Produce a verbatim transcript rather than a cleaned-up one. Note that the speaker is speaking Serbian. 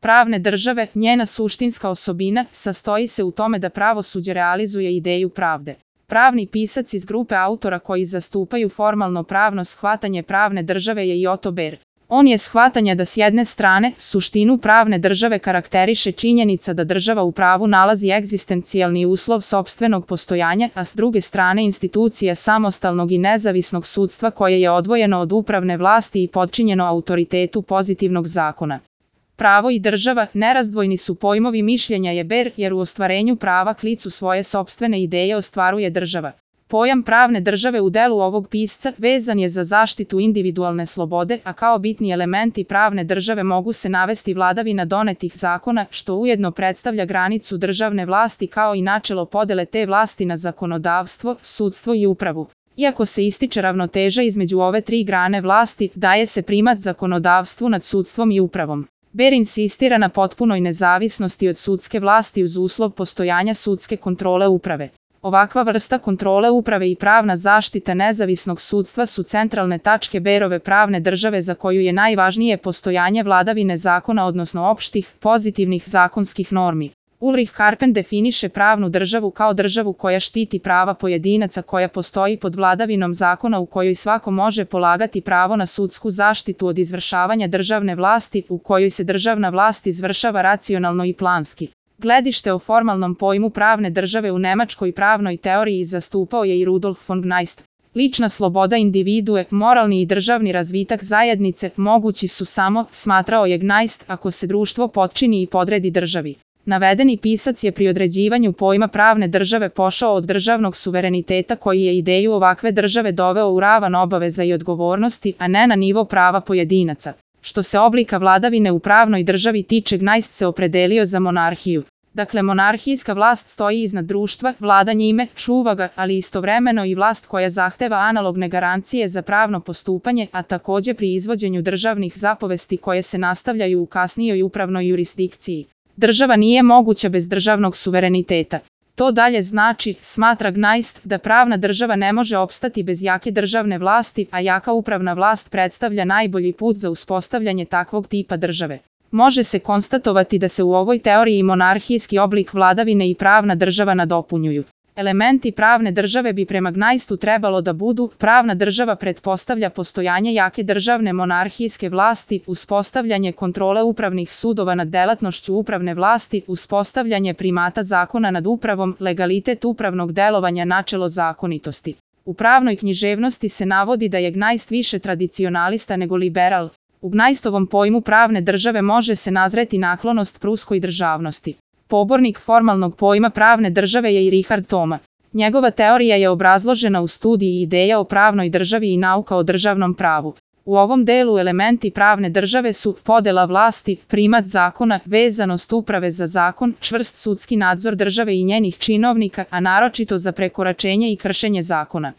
pravne države, njena suštinska osobina, sastoji se u tome da pravosuđe realizuje ideju pravde. Pravni pisac iz grupe autora koji zastupaju formalno pravno shvatanje pravne države je i Otto Baer. On je shvatanja da s jedne strane, suštinu pravne države karakteriše činjenica da država u pravu nalazi egzistencijalni uslov sopstvenog postojanja, a s druge strane institucija samostalnog i nezavisnog sudstva koje je odvojeno od upravne vlasti i podčinjeno autoritetu pozitivnog zakona. Pravo i država nerazdvojni su pojmovi, mišljenja je Baer, jer u ostvarenju prava k licu svoje sopstvene ideje ostvaruje država. Pojam pravne države u delu ovog pisca vezan je za zaštitu individualne slobode, a kao bitni elementi pravne države mogu se navesti vladavina donetih zakona, što ujedno predstavlja granicu državne vlasti kao i načelo podele te vlasti na zakonodavstvo, sudstvo i upravu. Iako se ističe ravnoteža između ove tri grane vlasti, daje se primat zakonodavstvu nad sudstvom i upravom. Baer insistira na potpunoj nezavisnosti od sudske vlasti uz uslov postojanja sudske kontrole uprave. Ovakva vrsta kontrole uprave i pravna zaštita nezavisnog sudstva su centralne tačke Baerove pravne države za koju je najvažnije postojanje vladavine zakona odnosno opštih, pozitivnih zakonskih normi. Ulrich Harpen definiše pravnu državu kao državu koja štiti prava pojedinaca, koja postoji pod vladavinom zakona, u kojoj svako može polagati pravo na sudsku zaštitu od izvršavanja državne vlasti, u kojoj se državna vlast izvršava racionalno i planski. Gledište o formalnom pojmu pravne države u nemačkoj pravnoj teoriji zastupao je i Rudolf von Gneist. Lična sloboda individue, moralni i državni razvitak zajednice mogući su samo, smatrao je Gneist, ako se društvo potčini i podredi državi. Navedeni pisac je pri određivanju pojma pravne države pošao od državnog suvereniteta koji je ideju ovakve države doveo u ravan obaveza i odgovornosti, a ne na nivo prava pojedinaca. Što se oblika vladavine u pravnoj državi tiče, Gneist se opredelio za monarhiju. Dakle, monarhijska vlast stoji iznad društva, vlada njime, čuva ga, ali istovremeno i vlast koja zahteva analogne garancije za pravno postupanje, a takođe pri izvođenju državnih zapovesti koje se nastavljaju u kasnijoj upravnoj jurisdikciji. Država nije moguća bez državnog suvereniteta. To dalje znači, smatra Gneist, da pravna država ne može opstati bez jake državne vlasti, a jaka upravna vlast predstavlja najbolji put za uspostavljanje takvog tipa države. Može se konstatovati da se u ovoj teoriji monarhijski oblik vladavine i pravna država nadopunjuju. Elementi pravne države bi prema Gneistu trebalo da budu: pravna država pretpostavlja postojanje jake državne monarhijske vlasti, uspostavljanje kontrole upravnih sudova nad delatnošću upravne vlasti, uspostavljanje primata zakona nad upravom, legalitet upravnog delovanja, načelo zakonitosti. U pravnoj književnosti se navodi da je Gneist više tradicionalista nego liberal. U Gneistovom pojmu pravne države može se nazreti naklonost pruskoj državnosti. Pobornik formalnog pojma pravne države je i Richard Thoma. Njegova teorija je obrazložena u studiji Ideja o pravnoj državi i Nauka o državnom pravu. U ovom delu elementi pravne države su podela vlasti, primat zakona, vezanost uprave za zakon, čvrst sudski nadzor države i njenih činovnika, a naročito za prekoračenje i kršenje zakona.